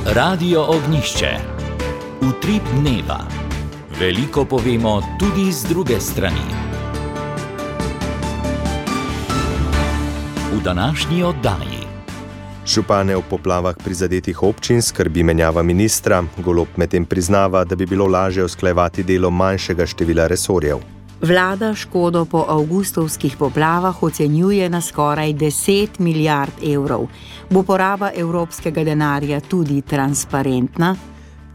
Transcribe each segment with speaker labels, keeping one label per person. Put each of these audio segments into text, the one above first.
Speaker 1: Radio Ognjišče. Utrip dneva. Veliko povemo tudi z druge strani. V današnji oddaji.
Speaker 2: Župane v poplavah prizadetih občin skrbi menjava ministra. Golob medtem priznava, da bi bilo lažje usklajevati delo manjšega števila resorjev.
Speaker 3: Vlada škodo po avgustovskih poplavah ocenjuje na skoraj 10 milijard evrov. Bo poraba evropskega denarja tudi transparentna?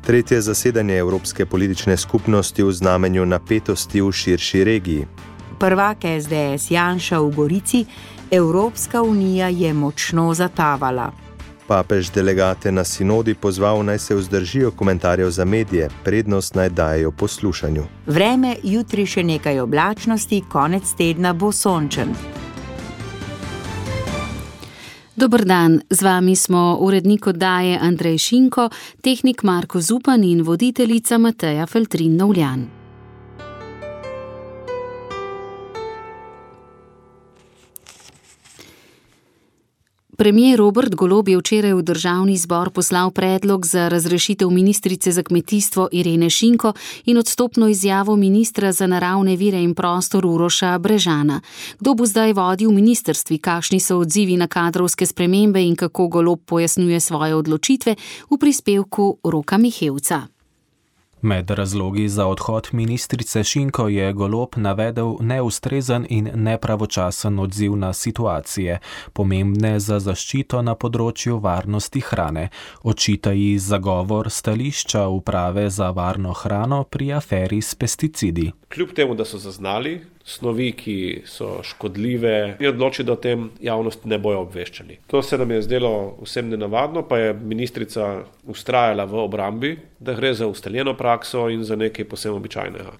Speaker 2: Tretje zasedanje Evropske politične skupnosti v znamenju napetosti v širši regiji.
Speaker 3: Prvak SDS Janša v Gorici: Evropska unija je močno zatavala.
Speaker 2: Papež delegate na sinodi pozval, naj se vzdržijo komentarjev za medije, prednost naj dajejo poslušanju.
Speaker 3: Vreme, jutri še nekaj oblačnosti, konec tedna bo sončen.
Speaker 4: Dober dan, z vami smo urednik oddaje Andrej Šinko, tehnik Marko Zupan in voditeljica Mateja Feltrin-Novljan. Premier Robert Golob je včeraj v državni zbor poslal predlog za razrešitev ministrice za kmetijstvo Irene Šinko in odstopno izjavo ministra za naravne vire in prostor Uroša Brežana. Kdo bo zdaj vodil ministrstvi, kakšni so odzivi na kadrovske spremembe in kako Golob pojasnjuje svoje odločitve, v prispevku Roka Mihevca.
Speaker 5: Med razlogi za odhod ministrice Šinko je Golob navedel neustrezen in nepravočasen odziv na situacije, pomembne za zaščito na področju varnosti hrane. Očita ji zagovor stališča uprave za varno hrano pri aferi s pesticidi.
Speaker 6: Kljub temu, da so zaznali snovi, ki so škodljive, je odločil, da o tem javnost ne bojo obveščeni. To se nam je zdelo vsem nenavadno, pa je ministrica vztrajala v obrambi, da gre za ustaljeno prakso in za nekaj posebno običajnega.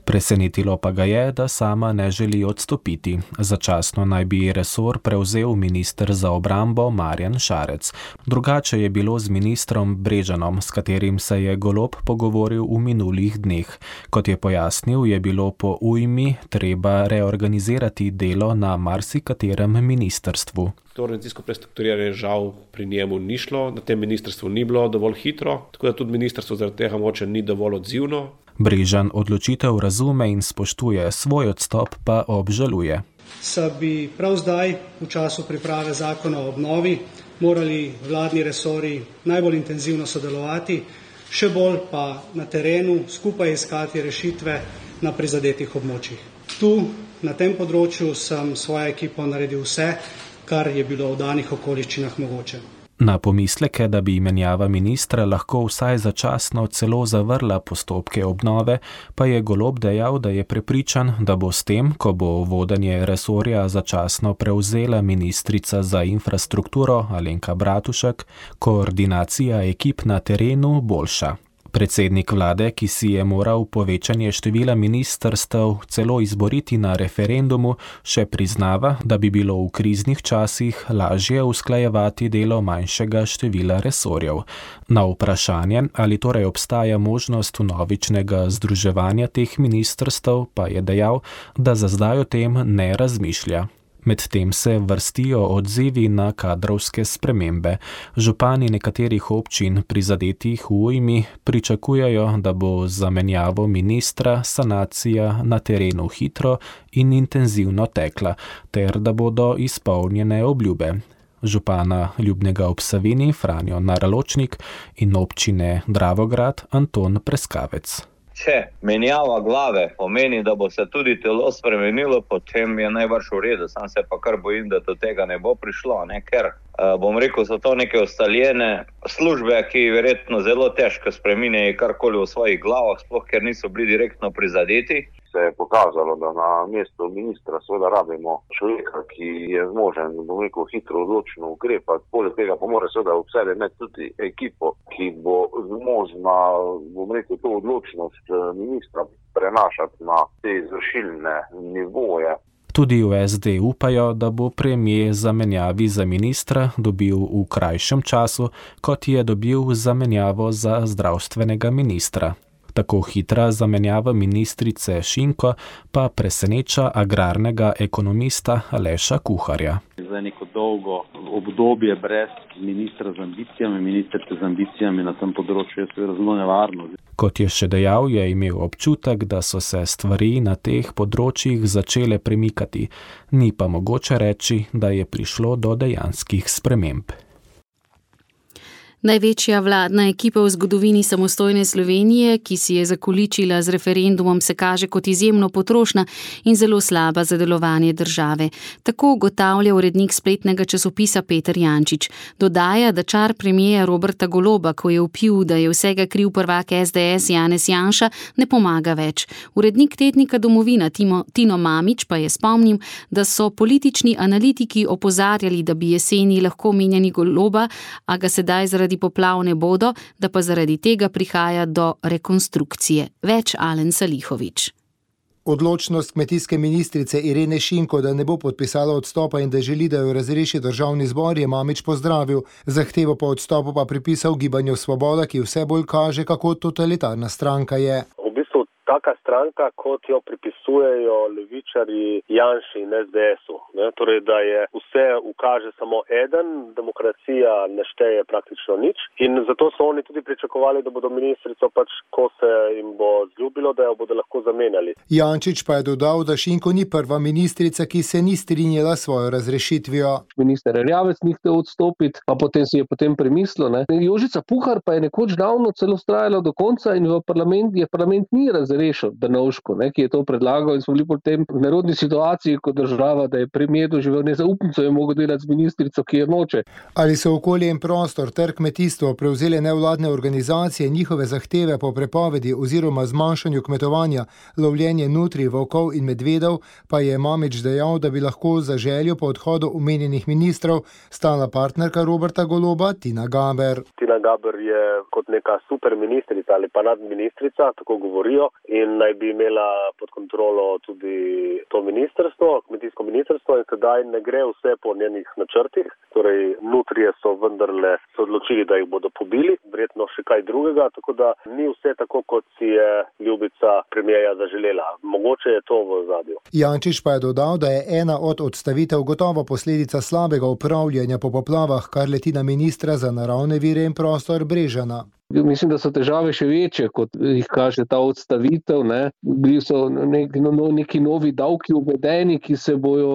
Speaker 5: Presenetilo pa ga je, da sama ne želi odstopiti. Začasno naj bi resor prevzel minister za obrambo Marjan Šarec. Drugače je bilo z ministrom Brežanom, s katerim se je Golob pogovoril v minulih dneh. Kot je pojasnil, je bilo po ujmi treba reorganizirati delo na marsikaterem ministrstvu.
Speaker 6: To organizacijsko prestrukturiranje žal pri njemu ni šlo, na tem ministrstvu ni bilo dovolj hitro, tako da tudi ministrstvo zaradi tega moče ni dovolj odzivno.
Speaker 5: Brežan odločitev razume in spoštuje, svoj odstop pa obžaluje.
Speaker 7: Se bi prav zdaj, v času priprave zakona o obnovi, morali vladni resorji najbolj intenzivno sodelovati, še bolj pa na terenu skupaj iskati rešitve na prizadetih območjih. Tu, na tem področju, sem svojo ekipo naredil vse, kar je bilo v danih okoliščinah mogoče.
Speaker 5: Na pomisleke, da bi menjava ministra lahko vsaj začasno celo zavrla postopke obnove, pa je Golob dejal, da je prepričan, da bo s tem, ko bo vodenje resorja začasno prevzela ministrica za infrastrukturo Alenka Bratušek, koordinacija ekip na terenu boljša. Predsednik vlade, ki si je moral povečanje števila ministrstev celo izboriti na referendumu, še priznava, da bi bilo v kriznih časih lažje usklajevati delo manjšega števila resorjev. Na vprašanje, ali torej obstaja možnost vnovičnega združevanja teh ministrstev, pa je dejal, da za zdaj o tem ne razmišlja. Medtem se vrstijo odzivi na kadrovske spremembe. Župani nekaterih občin prizadetih v ujmi pričakujejo, da bo za menjavo ministra sanacija na terenu hitro in intenzivno tekla, ter da bodo izpolnjene obljube. Župana Ljubnega ob Savinji Franjo Naraločnik in občine Dravograd Anton Preskavec.
Speaker 8: Če menjava glave pomeni, da bo se tudi telo spremenilo, potem je najbrž v redu. Sam se pa kar bojim, da do tega ne bo prišlo, ker bom rekel, so to neke ustaljene službe, ki verjetno zelo težko spreminjajo karkoli v svojih glavah, sploh ker niso bili direktno prizadeti.
Speaker 9: Se je pokazalo, da na mestu ministra seveda rabimo človeka, ki je zmožen, bom rekel, hitro odločno ukrepati. Poleg tega pa mora seveda ob sebi imeti tudi ekipo, ki bo zmožna, bom rekel, to odločnost ministra prenašati na te izvršilne nivoje.
Speaker 5: Tudi v SD upajo, da bo premier zamenjavi za ministra dobil v krajšem času, kot je dobil zamenjavo za zdravstvenega ministra. Tako hitra zamenjava ministrice Šinko pa preseneča agrarnega ekonomista Aleša Kuharja.
Speaker 10: Za neko dolgo obdobje brez ministra z ambicijami, ministrice z ambicijami na tem področju je seveda zelo nevarno.
Speaker 5: Kot je še dejal, je imel občutek, da so se stvari na teh področjih začele premikati, ni pa mogoče reči, da je prišlo do dejanskih sprememb.
Speaker 4: Največja vladna ekipa v zgodovini samostojne Slovenije, ki si je zakoličila z referendumom, se kaže kot izjemno potrošna in zelo slaba za delovanje države. Tako ugotavlja urednik spletnega časopisa Peter Jančič. Dodaja, da čar premierja Roberta Goloba, ko je vpil, da je vsega kriv prvak SDS Janez Janša, ne pomaga več. Urednik tednika Domovina Tino Mamić pa je spomnil, da so politični analitiki opozarjali, da bi jeseni lahko menjali Goloba, a ga sedaj zaradi poplav ne bodo, da pa zaradi tega prihaja do rekonstrukcije. Več Alen Salihović.
Speaker 11: Odločnost kmetijske ministrice Irene Šinko, da ne bo podpisala odstopa in da želi, da jo razreši državni zbor, je Mamić pozdravil. Zahtevo po odstopu pa pripisal Gibanju Svoboda, ki vse bolj kaže, kako totalitarna stranka je.
Speaker 12: Taka stranka, kot jo pripisujejo levičarji Janši in SDS-u. Torej, da je vse ukaže samo eden, demokracija ne šteje praktično nič in zato so oni tudi pričakovali, da bodo ministrico ko se jim bo zljubilo, da jo bodo lahko zamenjali.
Speaker 11: Jančič pa je dodal, da Šinko ni prva ministrica, ki se ni strinjala s svojo razrešitvijo.
Speaker 13: Minister Erjavec ni hotel odstopiti, pa potem si je premislil. Jožica Puhar pa je nekoč davno celo vztrajala do konca in parlament ni razrešil Drnovško, ki je to predlagal in smo bili potem v nerodni situaciji kot država, da je premier doživel nezaupnico in mogel delati z ministrico, ki je noče.
Speaker 11: Ali so okolje in prostor ter kmetijstvo prevzele nevladne organizacije, njihove zahteve po prepovedi oziroma zmanjšanju kmetovanja, lovljenje nutri, volkov in medvedov, pa je Mamić dejal, da bi lahko za željo po odhodu omenjenih ministrov stala partnerka Roberta Goloba, Tina Gaber.
Speaker 12: Tina Gaber je kot neka super ministrica ali pa nadministrica, tako govorijo, in naj bi imela pod kontrolo tudi to ministrstvo, kmetijsko ministrstvo in sedaj ne gre vse po njenih načrtih. Torej, nutrije so vendarle se odločili, da jih bodo pobili, verjetno še kaj drugega, tako da ni vse tako, kot si je ljubica premierja zaželela. Mogoče je to v ozadju.
Speaker 11: Jančič pa je dodal, da je ena od odstavitev gotovo posledica slabega upravljanja po poplavah, kar leti na ministra za naravne vire in prostor Brežana.
Speaker 13: Mislim, da so težave še večje, kot jih kaže ta odstavitev. Bili so neki novi davki uvedeni, ki se bojo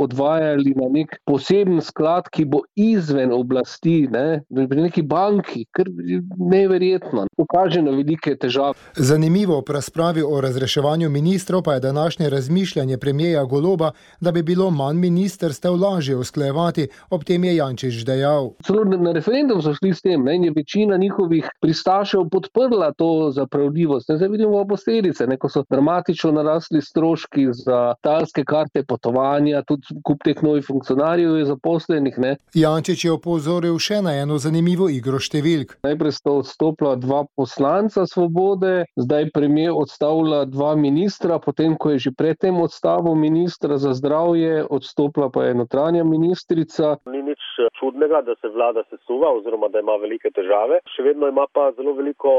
Speaker 13: odvajali na nek poseben sklad, ki bo izven oblasti, pri neki banki, kar neverjetno. Pokaže na velike težave.
Speaker 11: Zanimivo v razpravi o razreševanju ministrov pa je današnje razmišljanje premierja Goloba, da bi bilo manj ministrstev lažje usklajevati, ob tem je Jančič dejal.
Speaker 13: Celo na referendum so šli s tem, in je večina njihovih pristašev podprla to zapravljivost. Zdaj vidimo posledice, ko so dramatično narasli stroški za talske karte potovanja, tudi kup teh novih funkcionarjev je zaposlenih.
Speaker 11: Jančič je opozoril še na eno zanimivo igro številk.
Speaker 13: Najprej sta odstopila 2 poslanca Svobode, zdaj premier odstavlja 2 ministra, potem ko je že predtem odstavil ministra za zdravje, odstopila pa je notranja ministrica.
Speaker 12: Ni nič čudnega, da se vlada sesuva oziroma da ima velike težave. Še vedno ima pa zelo veliko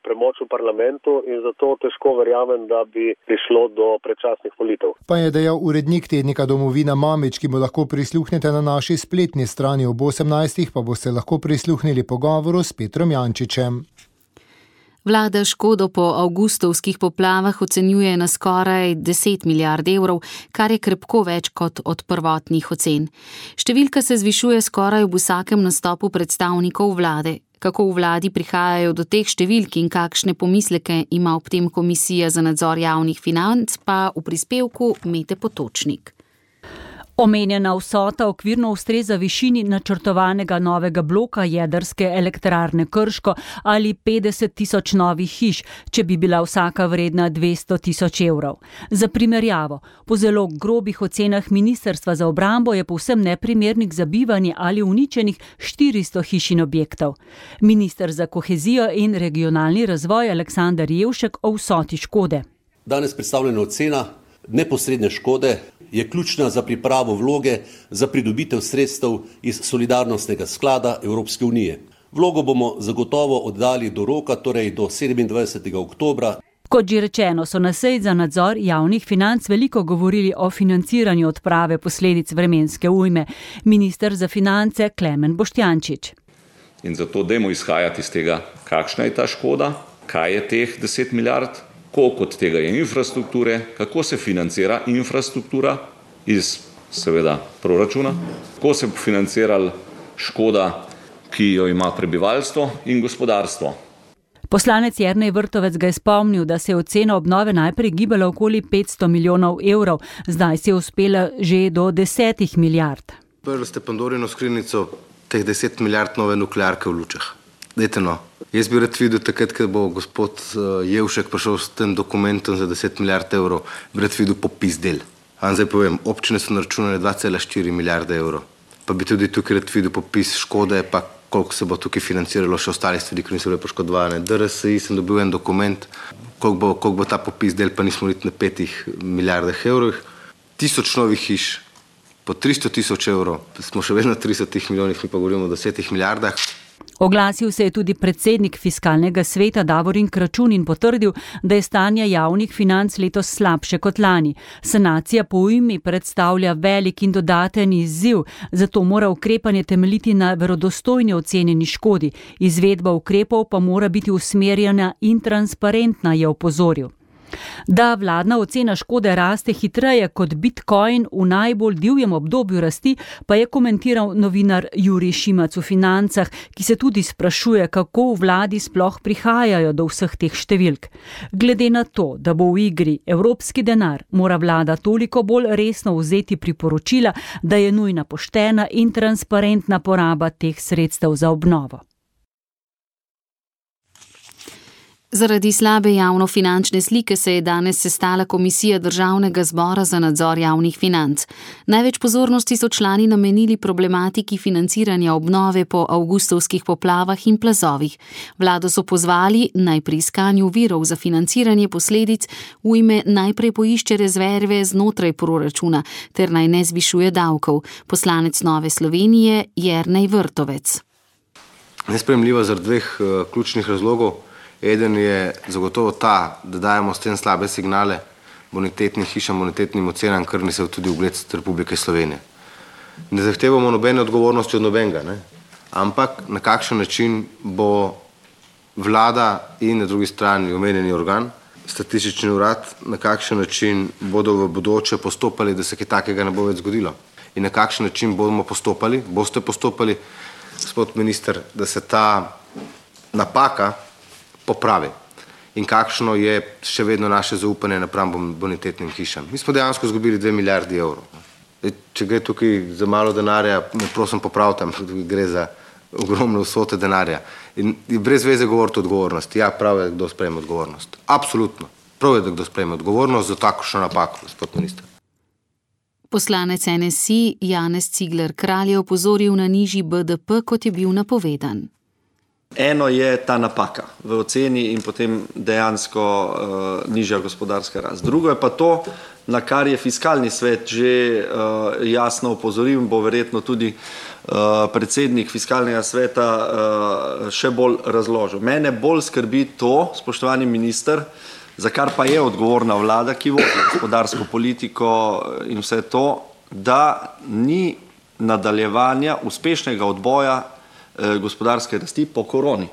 Speaker 12: premoč v parlamentu in zato težko verjamem, da bi prišlo do predčasnih volitev.
Speaker 11: Pa je dejal urednik tednika Domovina Mamić, ki mu lahko prisluhnete na naši spletni strani ob 18. pa boste lahko prisluhnili pogovoru s Petrom Jančičem.
Speaker 4: Vlada škodo po avgustovskih poplavah ocenjuje na skoraj 10 milijard evrov, kar je krepko več kot od prvotnih ocen. Številka se zvišuje skoraj v vsakem nastopu predstavnikov vlade. Kako v vladi prihajajo do teh številk in kakšne pomisleke ima ob tem Komisija za nadzor javnih financ, pa v prispevku Mete Potočnik.
Speaker 14: Omenjena vsota okvirno ustreza višini načrtovanega novega bloka jedrske elektrarne Krško ali 50 tisoč novih hiš, če bi bila vsaka vredna 200 tisoč evrov. Za primerjavo, po zelo grobih ocenah Ministrstva za obrambo je povsem neprimernih za bivanje ali uničenih 400 hiš in objektov. Minister za kohezijo in regionalni razvoj Aleksander Jevšek o vsoti škode.
Speaker 15: Danes predstavljena ocena neposredne škode je ključna za pripravo vloge za pridobitev sredstev iz solidarnostnega sklada Evropske unije. Vlogo bomo zagotovo oddali do roka, torej do 27. oktobra.
Speaker 14: Kot že rečeno, so na seji za nadzor javnih financ veliko govorili o financiranju odprave posledic vremenske ujme. Minister za finance Klemen Boštjančič.
Speaker 16: In zato dajmo izhajati iz tega, kakšna je ta škoda, kaj je teh 10 milijard, koliko od tega je infrastrukture, kako se financira infrastruktura iz seveda proračuna, kako se bo financirala škoda, ki jo ima prebivalstvo in gospodarstvo.
Speaker 14: Poslanec Jernej Vrtovec ga je spomnil, da se je ocena obnove najprej gibala okoli 500 milijonov evrov, zdaj se je uspela že do 10 milijard.
Speaker 17: Prvi ste Pandorino skrinjico teh 10 milijard nove nuklearke v Lučah. Dajte no. Jaz bi rad videl takrat, ko bo gospod Jevšek prišel s tem dokumentom za 10 milijard evrov, bi rad videl popis del. Zdaj povem, občine so naračunale 2,4 milijarde evrov. Pa bi tudi tukaj rad videl popis škode, pa koliko se bo tukaj financiralo še ostalih stvari, ki niso bile poškodovane. DRSI sem dobil en dokument, koliko bo ta popis del, pa nismo niti na 5 milijardah evrov. 1000 novih hiš, po 300 000 evrov, smo še vedno 300 milijonih, mi pa govorimo o 10 milijardah.
Speaker 14: Oglasil se je tudi predsednik Fiskalnega sveta Davorin Kračun in potrdil, da je stanje javnih financ letos slabše kot lani. Sanacija po ujmi predstavlja velik in dodaten izziv, zato mora ukrepanje temeljiti na verodostojni ocenjeni škodi. Izvedba ukrepov pa mora biti usmerjena in transparentna, je opozoril. Da vladna ocena škode raste hitreje kot Bitcoin v najbolj divjem obdobju rasti, pa je komentiral novinar Jurij Šimac v Financah, ki se tudi sprašuje, kako v vladi sploh prihajajo do vseh teh številk. Glede na to, da bo v igri evropski denar, mora vlada toliko bolj resno vzeti priporočila, da je nujna poštena in transparentna poraba teh sredstev za obnovo.
Speaker 4: Zaradi slabe javnofinančne slike se je danes sestala Komisija Državnega zbora za nadzor javnih financ. Največ pozornosti so člani namenili problematiki financiranja obnove po avgustovskih poplavah in plazovih. Vlado so pozvali, naj pri iskanju virov za financiranje posledic ujme najprej poišče rezerve znotraj proračuna ter naj ne zvišuje davkov. Poslanec Nove Slovenije Jernej Vrtovec.
Speaker 17: Nesprejemljivo zaradi dveh ključnih razlogov. Eden je zagotovo ta, da dajemo s tem slabe signale bonitetnim hišam, bonitetnim ocenam, kar niso tudi ugled Republike Slovenije. Ne zahtevamo nobene odgovornosti od nobenega, ampak na kakšen način bo vlada in na drugi strani omenjeni organ, statistični urad, na kakšen način bodo v bodoče postopali, da se kaj takega ne bo več zgodilo. In na kakšen način bomo postopali, boste postopali, gospod minister, da se ta napaka popravi. In kakšno je še vedno naše zaupanje napram bonitetnim hišam. Mi smo dejansko izgubili 2 milijardi evrov. Če gre tukaj za malo denarja, me prosim popravite, gre za ogromne vsote denarja. In brez veze govoriti o odgovornosti. Ja, prav je, kdo sprejme odgovornost. Absolutno. Prav je, da kdo sprejme odgovornost za takšno napako, gospod minister.
Speaker 4: Poslanec NSI Janez Cigler Kralj je opozoril na nižji BDP, kot je bil napovedan.
Speaker 18: Eno je ta napaka v oceni in potem dejansko nižja gospodarska rast. Drugo je pa to, na kar je Fiskalni svet že jasno opozoril in bo verjetno tudi predsednik Fiskalnega sveta še bolj razložil. Mene bolj skrbi to, spoštovani minister, za kar pa je odgovorna vlada, ki vodi gospodarsko politiko in vse to, da ni nadaljevanja uspešnega odboja gospodarske rasti po koroni.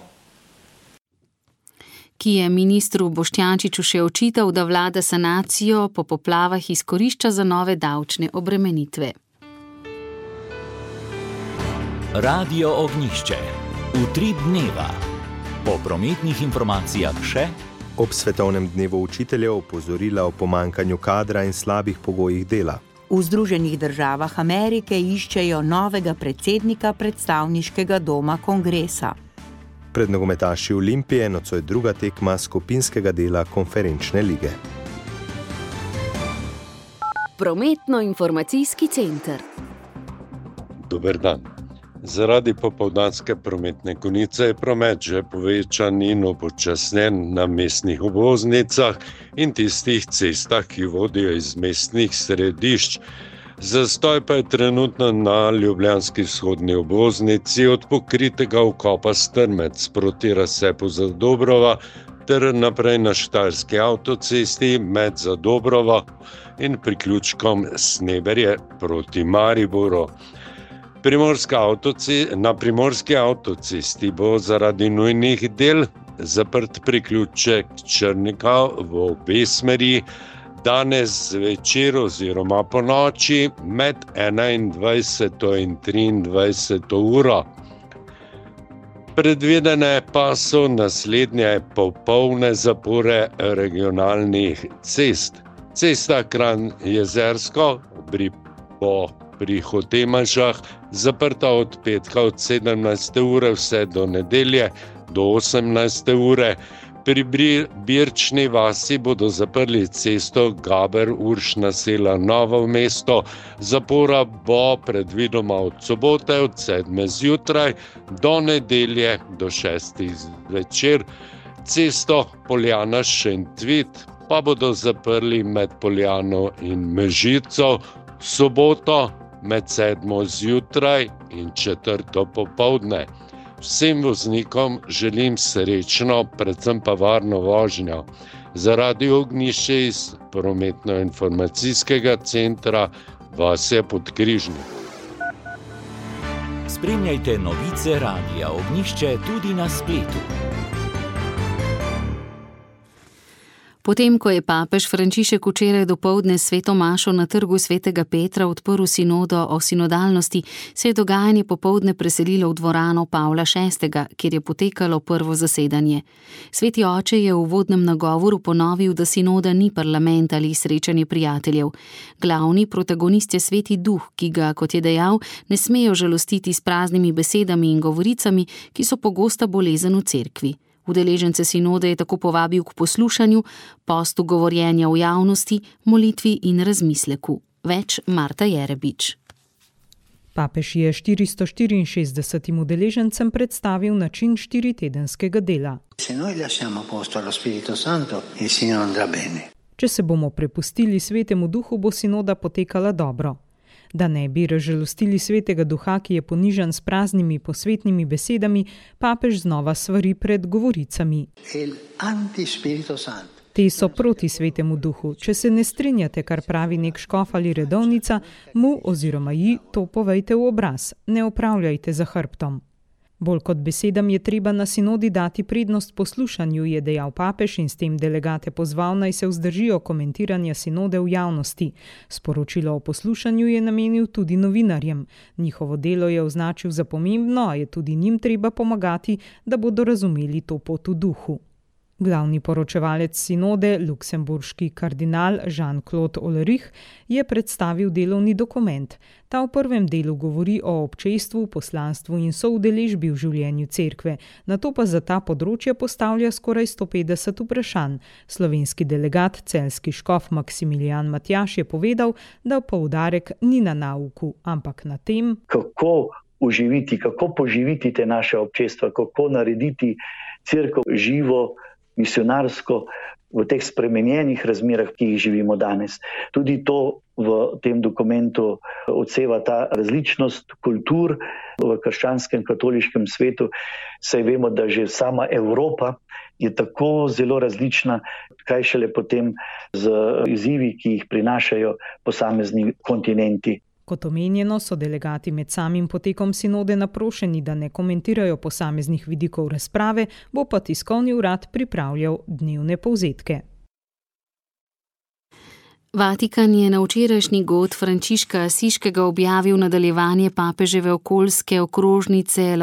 Speaker 4: Ki je ministru Boštjančiču še očital, da vlada sanacijo po poplavah izkorišča za nove davčne obremenitve.
Speaker 1: Radio Ognjišče. Utrip dneva. Po prometnih informacijah še
Speaker 2: ob Svetovnem dnevu učiteljev opozorila o pomankanju kadra in slabih pogojih dela.
Speaker 3: V Združenih državah Amerike iščejo novega predsednika predstavniškega doma kongresa.
Speaker 2: Pred nogometaši Olimpije nocoj druga tekma skupinskega dela konferenčne lige.
Speaker 4: Prometno-informacijski center.
Speaker 19: Dober dan. Zaradi popoldanske prometne konice je promet že povečan in upočasnjen na mestnih obvoznicah in tistih cestah, ki vodijo iz mestnih središč. Zastoj pa je trenutno na ljubljanski vzhodni obvoznici od pokritega vkopa Strmec proti razcepu Zadobrova ter naprej na Štajerski avtocesti med Zadobrovo in priključkom Sneberje proti Mariboru. Na Primorski avtocesti bo zaradi nujnih del zaprt priključek Črnika v obe smeri danes zvečer oziroma po noči med 21. in 23. uro. Predvidene pa so naslednje popolne zapore regionalnih cest. Cesta Kranj-Jezersko pri Hotemažah zaprta od petka od 17. ure vse do nedelje do 18. ure. Pri Birčni vasi bodo zaprli cesto Gaber-Uršna sela Novo mesto. Zapora bo predvidoma od sobote od 7. zjutraj do nedelje do 6. zvečer. Cesto Poljana-Šentvit pa bodo zaprli med Poljano in Mežico v soboto med 7. zjutraj in 4. popoldne. Vsem voznikom želim srečno, predvsem pa varno vožnjo. Zaradi ognjišče iz prometno-informacijskega centra Vasja Podkrižnik.
Speaker 1: Spremljajte novice Radia Ognjišče tudi na spletu.
Speaker 4: Potem, ko je papež Frančišek včeraj dopoldne sveto mašo na trgu svetega Petra odprl sinodo o sinodalnosti, se je dogajanje popoldne preselilo v dvorano Pavla VI, kjer je potekalo prvo zasedanje. Sveti oče je v uvodnem nagovoru ponovil, da sinoda ni parlament ali srečanje prijateljev. Glavni protagonist je Sveti Duh, ki ga, kot je dejal, ne smejo žalostiti s praznimi besedami in govoricami, ki so pogosta bolezen v cerkvi. Udeležence sinode je tako povabil k poslušanju, postu govorjenja v javnosti, molitvi in razmisleku. Več Marta Jerebič.
Speaker 20: Papež je 464 udeležencem predstavil način 4-tedenskega dela. Če se bomo prepustili Svetemu Duhu, bo sinoda potekala dobro. Da ne bi razžalostili Svetega Duha, ki je ponižan s praznimi posvetnimi besedami, papež znova svari pred govoricami. Te so proti Svetemu Duhu. Če se ne strinjate, kar pravi nek škof ali redovnica, mu oziroma ji to povejte v obraz. Ne opravljajte za hrbtom. Bolj kot besedam je treba na sinodi dati prednost poslušanju, je dejal papež in s tem delegate pozval, naj se vzdržijo komentiranja sinode v javnosti. Sporočilo o poslušanju je namenil tudi novinarjem. Njihovo delo je označil za pomembno, a je tudi njim treba pomagati, da bodo razumeli to pot v duhu. Glavni poročevalec sinode, luksemburški kardinal Jean-Claude Ulrich, je predstavil delovni dokument. Ta v prvem delu govori o občestvu, poslanstvu in soudeležbi v življenju cerkve, nato pa za ta področja postavlja skoraj 150 vprašanj. Slovenski delegat, celjski škof Maksimilijan Matjaž je povedal, da poudarek ni na nauku, ampak na tem,
Speaker 21: kako oživiti, kako poživiti te naše občestva, kako narediti cerkev živo, misionarsko v teh spremenjenih razmerah, ki jih živimo danes. Tudi to v tem dokumentu odseva ta različnost kultur v krščanskem katoliškem svetu. Saj vemo, da že sama Evropa je tako zelo različna, kaj šele potem z izzivi, ki jih prinašajo posamezni kontinenti.
Speaker 20: Kot omenjeno, so delegati med samim potekom sinode naprošeni, da ne komentirajo posameznih vidikov razprave, bo pa tiskovni urad pripravljal dnevne povzetke.
Speaker 4: Vatikan je na včerajšnji god Frančiška Asiškega objavil nadaljevanje papeževe okoljske okrožnice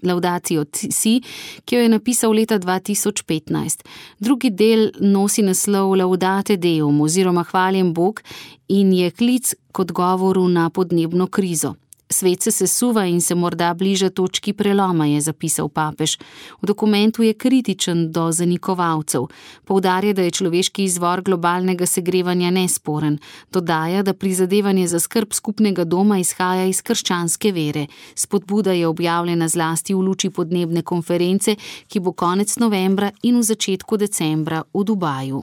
Speaker 4: Laudatio Si, ki jo je napisal leta 2015. Drugi del nosi naslov Laudate Deum oziroma Hvaljen Bog in je klic k odgovoru na podnebno krizo. Svet se sesuva in se morda bliža točki preloma, je zapisal papež. V dokumentu je kritičen do zanikovalcev. Poudarja, da je človeški izvor globalnega segrevanja nesporen. Dodaja, da prizadevanje za skrb skupnega doma izhaja iz krščanske vere. Spodbuda je objavljena zlasti v luči podnebne konference, ki bo konec novembra in v začetku decembra v Dubaju.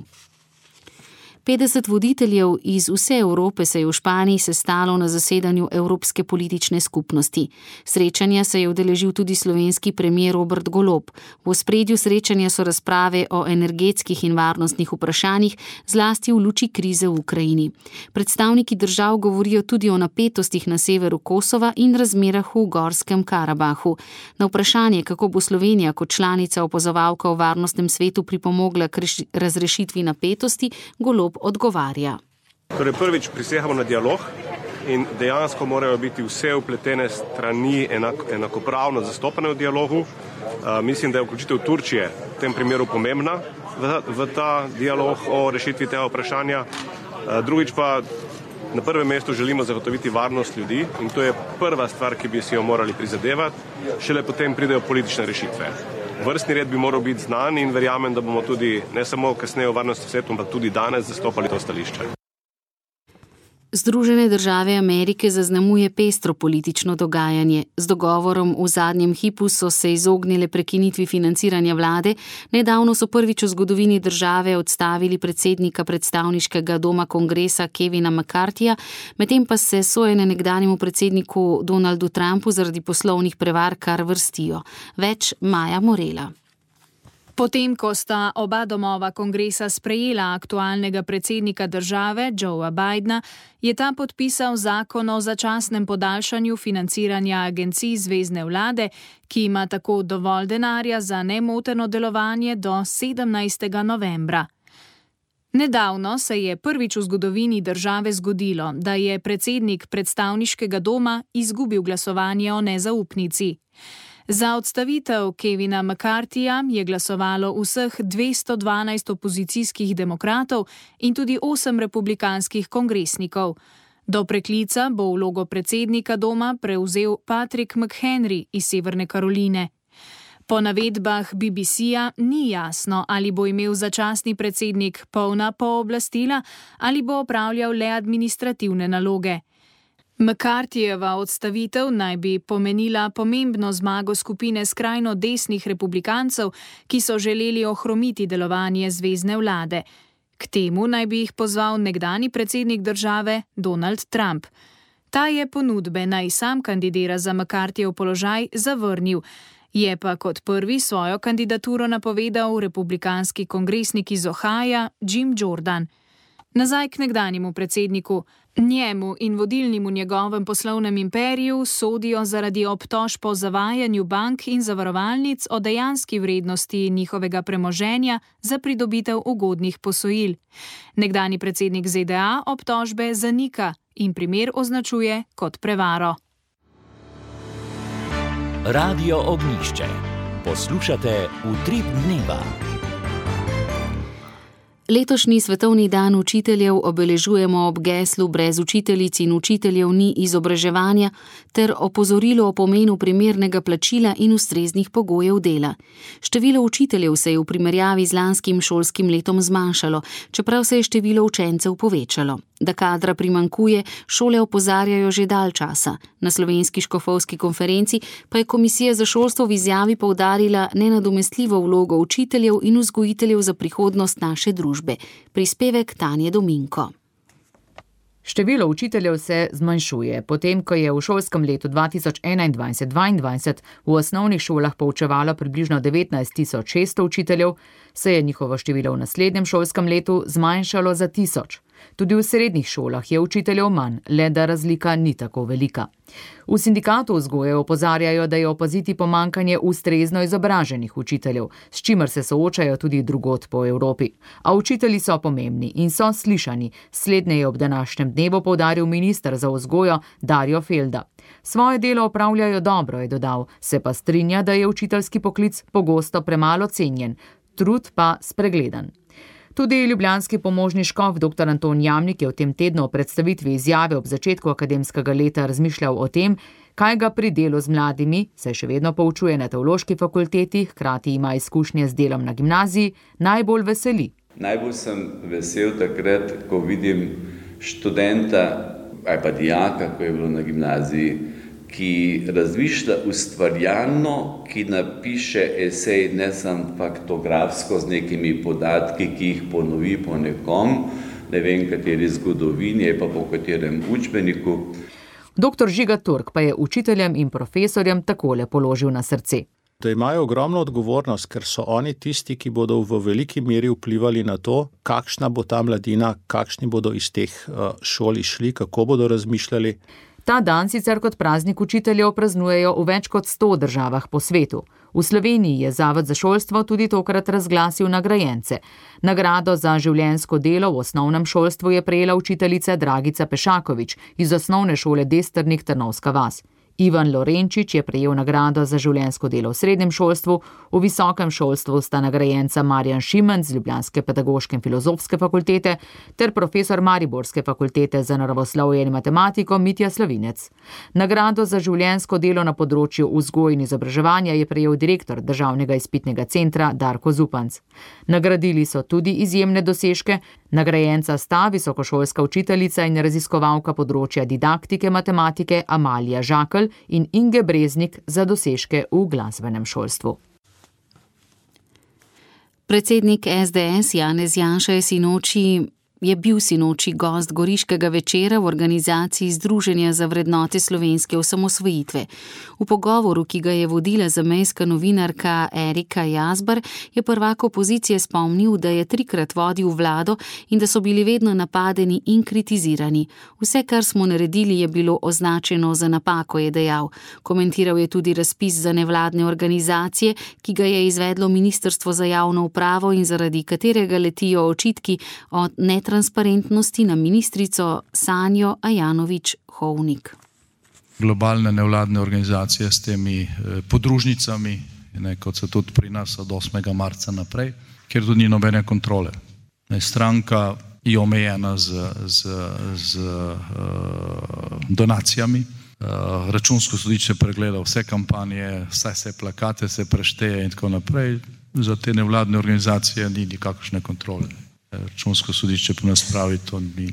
Speaker 4: 50 voditeljev iz vse Evrope se je v Španiji sestalo na zasedanju Evropske politične skupnosti. Srečanja se je udeležil tudi slovenski premier Robert Golob. V ospredju srečanja so razprave o energetskih in varnostnih vprašanjih, zlasti v luči krize v Ukrajini. Predstavniki držav govorijo tudi o napetostih na severu Kosova in razmerah v Gorskem Karabahu. Na vprašanje, kako bo Slovenija kot članica opazovalka v varnostnem svetu pripomogla k razrešitvi napetosti, Golob odgovarja.
Speaker 6: Torej prvič prisegamo na dialog in dejansko morajo biti vse vpletene strani enakopravno zastopane v dialogu. Mislim, da je vključitev Turčije v tem primeru pomembna v ta dialog o rešitvi tega vprašanja. Drugič pa na prvem mestu želimo zagotoviti varnost ljudi in to je prva stvar, ki bi si jo morali prizadevati, šele potem pridejo politične rešitve. Vrstni red bi moral biti znan in verjamem, da bomo tudi ne samo kasneje v varnostnem svetu, ampak tudi danes zastopali to stališče.
Speaker 4: Združene države Amerike zaznamuje pestro politično dogajanje. Z dogovorom v zadnjem hipu so se izognile prekinitvi financiranja vlade. Nedavno so prvič v zgodovini države odstavili predsednika predstavniškega doma kongresa Kevina McCarthyja, medtem pa se sojenje nekdanjemu predsedniku Donaldu Trumpu zaradi poslovnih prevar kar vrstijo. Več Maja Morela.
Speaker 22: Potem, ko sta oba domova kongresa sprejela aktualnega predsednika države, Joea Bidna, je ta podpisal zakon o začasnem podaljšanju financiranja agencij zvezne vlade, ki ima tako dovolj denarja za nemoteno delovanje do 17. novembra. Nedavno se je prvič v zgodovini države zgodilo, da je predsednik predstavniškega doma izgubil glasovanje o nezaupnici. Za odstavitev Kevina McCarthyja je glasovalo vseh 212 opozicijskih demokratov in tudi 8 republikanskih kongresnikov. Do preklica bo vlogo predsednika doma prevzel Patrick McHenry iz Severne Karoline. Po navedbah BBC-ja ni jasno, ali bo imel začasni predsednik polna pooblastila ali bo opravljal le administrativne naloge. McCarthyjeva odstavitev naj bi pomenila pomembno zmago skupine skrajno desnih republikancev, ki so želeli ohromiti delovanje zvezne vlade. K temu naj bi jih pozval nekdanji predsednik države Donald Trump. Ta je ponudbe, naj sam kandidira za McCarthyjev položaj, zavrnil. Je pa kot prvi svojo kandidaturo napovedal republikanski kongresnik iz Ohija Jim Jordan. Nazaj k nekdanjemu predsedniku. Njemu in vodilnim v njegovem poslovnem imperiju sodijo zaradi obtožb o zavajanju bank in zavarovalnic o dejanski vrednosti njihovega premoženja za pridobitev ugodnih posojil. Nekdanji predsednik ZDA obtožbe zanika in primer označuje kot prevaro.
Speaker 1: Radio Ognjišče. Poslušate Utrip dneva.
Speaker 4: Letošnji svetovni dan učiteljev obeležujemo ob geslu Brez učiteljic in učiteljev ni izobraževanja ter opozorilo o pomenu primernega plačila in ustreznih pogojev dela. Število učiteljev se je v primerjavi z lanskim šolskim letom zmanjšalo, čeprav se je število učencev povečalo. Da kadra primanjkuje, šole opozarjajo že dalj časa. Na slovenski škofovski konferenci pa je Komisija za šolstvo v izjavi poudarila nenadomestljivo vlogo učiteljev in vzgojiteljev za prihodnost naše družbe. Prispevek Tanje Dominko.
Speaker 23: Število učiteljev se zmanjšuje. Potem, ko je v šolskem letu 2021-2022 v osnovnih šolah poučevalo približno 19.600 učiteljev, se je njihovo število v naslednjem šolskem letu zmanjšalo za 1000. Tudi v srednjih šolah je učiteljev manj, le da razlika ni tako velika. V sindikatu vzgoje opozarjajo, da je opaziti pomanjkanje ustrezno izobraženih učiteljev, s čimer se soočajo tudi drugod po Evropi. A učitelji so pomembni in so slišani, slednje je ob današnjem dnevu poudaril minister za vzgojo Darjo Felda. Svoje delo opravljajo dobro, je dodal, se pa strinja, da je učiteljski poklic pogosto premalo cenjen, trud pa spregledan. Tudi ljubljanski pomožni škof dr. Anton Jamnik je v tem tednu o predstavitvi izjave ob začetku akademskega leta razmišljal o tem, kaj ga pri delu z mladimi, saj še vedno poučuje na teološki fakulteti, hkrati ima izkušnje z delom na gimnaziji, najbolj veseli.
Speaker 24: Najbolj sem vesel takrat, ko vidim študenta ali pa dijaka, ko je bilo na gimnaziji, ki razmišlja ustvarjalno, ki napiše esej ne samo faktografsko z nekimi podatki, ki jih ponovi po nekom, ne vem kateri zgodovini, pa po katerem učbeniku.
Speaker 23: Dr. Žiga Turk pa je učiteljem in profesorjem takole položil na srce.
Speaker 7: Da imajo ogromno odgovornost, ker so oni tisti, ki bodo v veliki meri vplivali na to, kakšna bo ta mladina, kakšni bodo iz teh šol išli, kako bodo razmišljali.
Speaker 23: Ta dan sicer kot praznik učiteljev praznujejo v več kot 100 državah po svetu. V Sloveniji je Zavod za šolstvo tudi tokrat razglasil nagrajence. Nagrado za življenjsko delo v osnovnem šolstvu je prejela učiteljica Dragica Pešakovič iz osnovne šole Destrnik Trnovska vas. Ivan Lorenčič je prejel nagrado za življenjsko delo v srednjem šolstvu, v visokem šolstvu sta nagrajenca Marjan Šimen z Ljubljanske pedagoške in filozofske fakultete ter profesor Mariborske fakultete za naravoslovje in matematiko Mitja Slavinec. Nagrado za življenjsko delo na področju vzgoje in izobraževanja je prejel direktor Državnega izpitnega centra Darko Zupanc. Nagradili so tudi izjemne dosežke. Nagrajenca sta visokošolska učiteljica in raziskovalka področja didaktike matematike Amalija Žakelj in Inge Breznik za dosežke v glasbenem šolstvu.
Speaker 4: Predsednik SDS Janez Janša je bil sinoči gost goriškega večera v organizaciji Združenja za vrednote slovenske osamosvojitve. V pogovoru, ki ga je vodila zamejska novinarka Erika Jazbar, je prvak opozicije spomnil, da je 3-krat vodil vlado in da so bili vedno napadeni in kritizirani. Vse, kar smo naredili, je bilo označeno za napako, je dejal. Komentiral je tudi razpis za nevladne organizacije, ki ga je izvedlo Ministrstvo za javno upravo in zaradi katerega letijo očitki o netransparentnosti na ministrico Sanjo Ajanović-Hovnik.
Speaker 8: Globalne nevladne organizacije s temi podružnicami, kot so tudi pri nas od 8. marca naprej, kjer tudi ni nobene kontrole. Stranka je omejena z donacijami. Računsko sodišče pregleda vse kampanje, vse plakate se prešteje in tako naprej. Za te nevladne organizacije ni nikakršne kontrole. Računsko sodišče pa nas pravi, to ni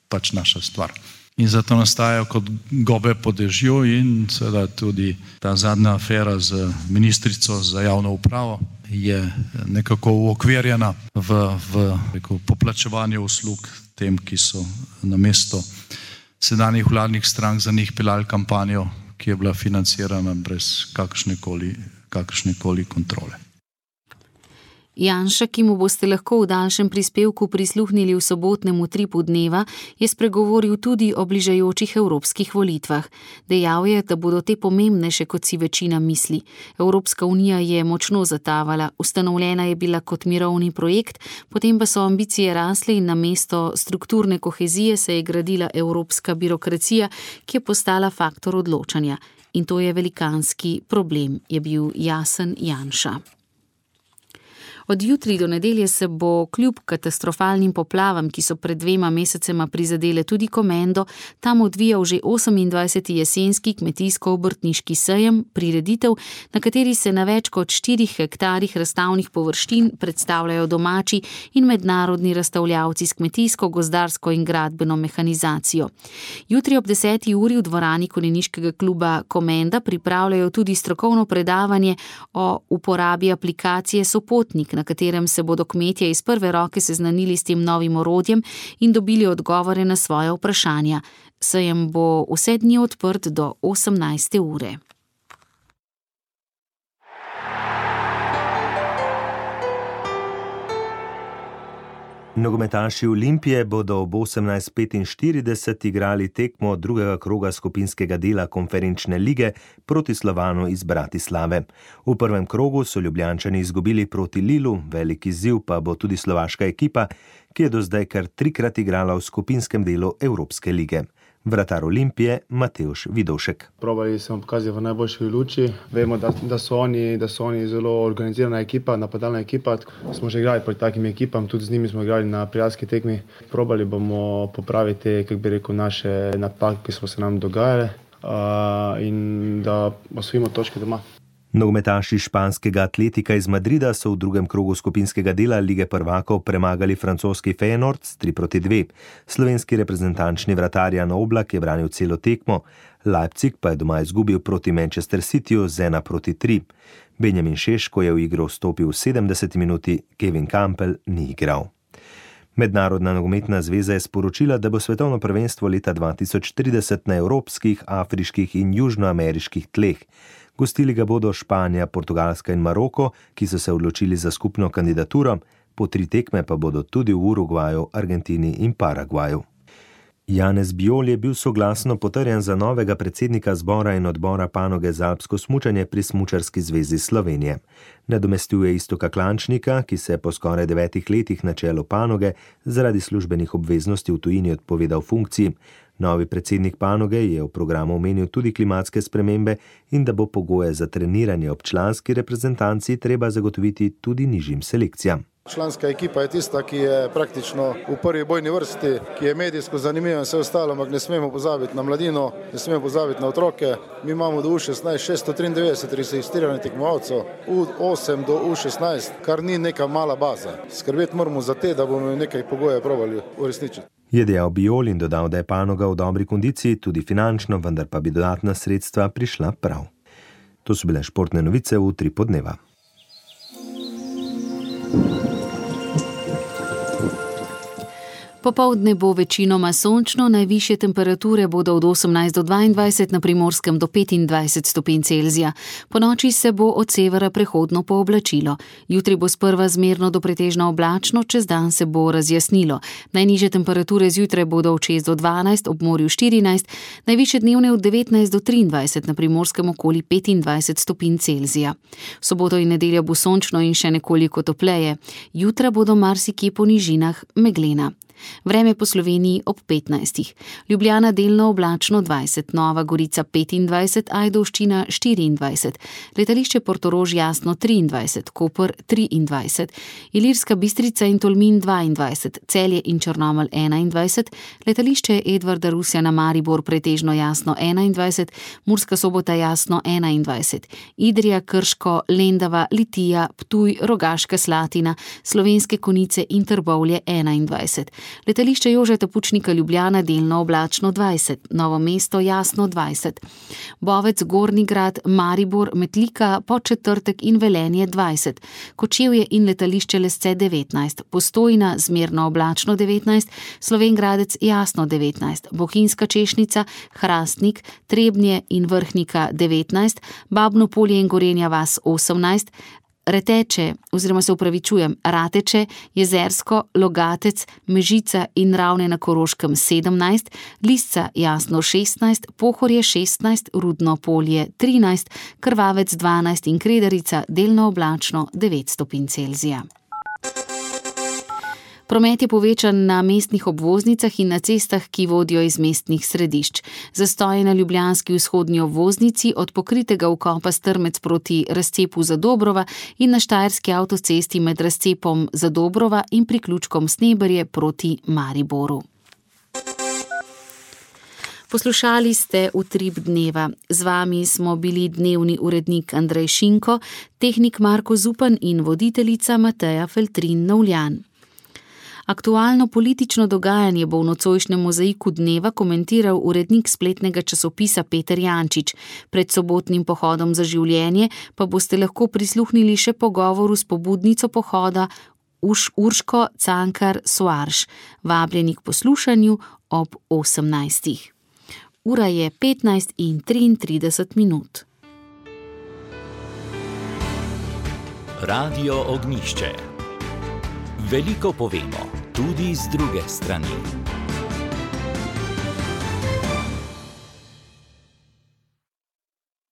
Speaker 8: pač naša stvar. In zato nastajajo kot gobe po dežju in seveda tudi ta zadnja afera z ministrico za javno upravo je nekako uokvirjena v poplačevanju uslug tem, ki so namesto sedanjih vladnih strank za njih peljali kampanjo, ki je bila financirana brez kakršnekoli kontrole.
Speaker 4: Janša, ki mu boste lahko v daljšem prispevku prisluhnili v sobotnem utripu dneva, je spregovoril tudi o bližajočih evropskih volitvah. Dejal je, da bodo te pomembnejše, kot si večina misli. Evropska unija je močno zatavala, ustanovljena je bila kot mirovni projekt, potem pa so ambicije rasle in namesto strukturne kohezije se je gradila evropska birokracija, ki je postala faktor odločanja. In to je velikanski problem, je bil jasen Janša. Od jutri do nedelje se bo kljub katastrofalnim poplavam, ki so pred 2 mesecema prizadele tudi Komendo, tam odvijal že 28. jesenski kmetijsko-obrtniški sejem, prireditev, na kateri se na več kot 4 hektarih razstavnih površin predstavljajo domači in mednarodni razstavljavci s kmetijsko, gozdarsko in gradbeno mehanizacijo. Jutri ob 10. uri v dvorani konjeniškega kluba Komenda pripravljajo tudi strokovno predavanje o uporabi aplikacije Sopotnik, na katerem se bodo kmetje iz prve roke seznanili s tem novim orodjem in dobili odgovore na svoje vprašanja. Sejem bo vse dni odprt do 18. ure.
Speaker 2: Nogometaši Olimpije bodo ob 18:45 igrali tekmo drugega kroga skupinskega dela konferenčne lige proti Slovanu iz Bratislave. V prvem krogu so Ljubljančani izgubili proti Lilu, velik izziv pa bo tudi slovaška ekipa, ki je do zdaj kar 3-krat igrala v skupinskem delu Evropske lige. Vratar Olimpije Matevž Vidovšek.
Speaker 9: Probali smo pokazati v najboljši luči. Vemo, da so oni zelo organizirana ekipa, napadalna ekipa. Smo že igrali proti takim ekipam, tudi z njimi smo igrali na prijateljski tekmi. Probali bomo popraviti, naše napake, ki so se nam dogajale in da osvojimo točke doma.
Speaker 2: Nogometaši španskega Atletika iz Madrida so v drugem krogu skupinskega dela Lige prvakov premagali francoski Feyenoord s 3:2. Slovenski reprezentančni vratar Jan Oblak je branil celo tekmo, Leipzig pa je doma izgubil proti Manchester Cityju z 1:3. Benjamin Šeško je v igro vstopil v 70 minuti, Kevin Campbell ni igral. Mednarodna nogometna zveza je sporočila, da bo svetovno prvenstvo leta 2030 na evropskih, afriških in južnoameriških tleh. Gostili ga bodo Španija, Portugalska in Maroko, ki so se odločili za skupno kandidaturo, po 3 tekme pa bodo tudi v Urugvaju, Argentini in Paragvaju. Janez Bijol je bil soglasno potrjen za novega predsednika zbora in odbora panoge za alpsko smučanje pri Smučarski zvezi Slovenije. Nadomestil je Iztoka Klančnika, ki se je po skoraj 9 letih na čelu panoge zaradi službenih obveznosti v tujini odpovedal funkciji. Novi predsednik panoge je v programu omenil tudi klimatske spremembe in da bo pogoje za treniranje ob članski reprezentanci treba zagotoviti tudi nižjim selekcijam.
Speaker 5: Članska ekipa je tista, ki je praktično v prvi bojni vrsti, ki je medijsko zanimiva in vse ostalo, ampak ne smemo pozabiti na mladino, ne smemo pozabiti na otroke. Mi imamo do U16 693 registriranih tekmovalcev, U8 do U16, kar ni neka mala baza. Skrbeti moramo za te, da bomo nekaj pogoje probali uresničiti.
Speaker 2: Je dejal Bijol in dodal, da je panoga v dobri kondiciji, tudi finančno, vendar pa bi dodatna sredstva prišla prav. To so bile športne novice v Utrip dneva.
Speaker 4: Popoldne bo večinoma sončno, najvišje temperature bodo od 18 do 22, na Primorskem do 25 stopinj Celzija. Ponoči se bo od severa prehodno pooblačilo. Jutri bo sprva zmerno do pretežno oblačno, čez dan se bo razjasnilo. Najnižje temperature zjutraj bodo od 6 do 12, ob morju 14, najvišje dnevne od 19 do 23, na Primorskem okoli 25 stopinj Celzija. V soboto in nedeljo bo sončno in še nekoliko topleje. Jutra bodo marsikje po nižinah meglena. Vreme po Sloveniji ob 15. Ljubljana delno oblačno 20, Nova Gorica 25, Ajdovščina 24, letališče Portorož jasno 23, Koper 23, Ilirska Bistrica in Tolmin 22, Celje in Črnomelj 21, letališče Edvarda Rusjana Maribor pretežno jasno 21, Murska Sobota jasno 21, Idrija, Krško, Lendava, Litija, Ptuj, Rogaška Slatina, Slovenske Konjice in Trbovlje 21. Letališče Jožeta Pučnika Ljubljana delno oblačno 20, Novo mesto jasno 20, Bovec, Gornji Grad, Maribor, Metlika, Podčetrtek in Velenje 20, Kočevje in letališče Lesce 19, Postojna zmerno oblačno 19, Slovenj Gradec jasno 19, Bohinjska Češnica, Hrastnik, Trebnje in Vrhnika 19, Babno Polje in Gorenja vas 18, Rateče, Jezersko, Logatec, Mežica in Ravne na Koroškem 17, Lisca jasno 16, Pohorje 16, Rudno Polje 13, Krvavec 12 in Kredarica delno oblačno 9 stopinj Celzija. Promet je povečan na mestnih obvoznicah in na cestah, ki vodijo iz mestnih središč. Zastoj na ljubljanski vzhodni obvoznici od pokritega vkopa Strmec proti razcepu Zadobrova in na štajerski avtocesti med razcepom Zadobrova in priključkom Sneberje proti Mariboru. Poslušali ste Utrip dneva. Z vami smo bili dnevni urednik Andrej Šinko, tehnik Marko Zupan in voditeljica Mateja Feltrin-Novljan. Aktualno politično dogajanje bo v nocojšnjem mozaiku dneva komentiral urednik spletnega časopisa Peter Jančič. Pred sobotnim pohodom za življenje pa boste lahko prisluhnili še pogovoru s pobudnico pohoda Urško Cankar Soarš. Vabljeni k poslušanju ob 18. Ura je 15:33.
Speaker 1: Radio Ognjišče. Veliko povemo, tudi z druge strani.